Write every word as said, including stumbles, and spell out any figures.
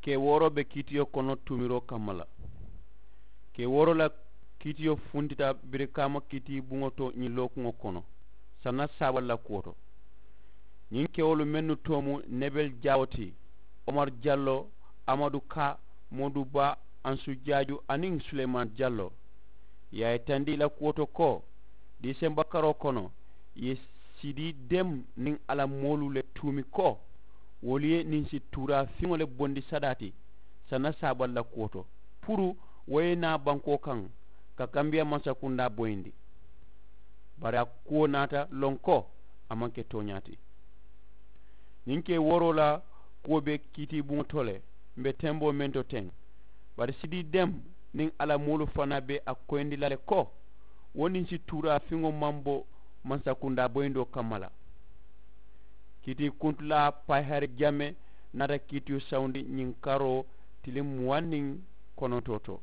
Kee wooroo be kiitiyo kono tuumiroo kamma la. Kee wooroo la kiitiyo funtita birikaama kiiti buŋo to ñiŋ lookuŋo kono sanna saabal la kuwo to. Ñiŋ kewolu mennu too mu nebel jaawo ti, omar jallo, amadu ka, moodu ba, ansu jaaju aniŋ suleyman jallo. Ì ye a yitandi ì la kuwo to ko diisemba karoo kono ì ye sidi dem niŋ a la moolu le tuumi ko wolu ye ninsi tuuraa fiŋo le bondi sadaa ti sanna saabal la kuwo to puru wo ye naa bankoo kaŋ ka kambiya mansakundaa boyindi. Bari a kuwo naata loŋ ko a maŋ ke tooñaa ti. Ñiŋ ke wooroo la kuwo be kiitiibuŋo to le m̀ be temboo meŋ to teŋ. Bari sidi dem niŋ a la moolu fanaa be a koyindi la le ko wo ninsi tuuraa fiŋo maŋ bo mansakundaa boyindoo kamma la. Kiitiikuntulaa payihari jame naata kiitiyo sawundi ñiŋ karoo tiliŋ muwaŋ niŋ konontoo to.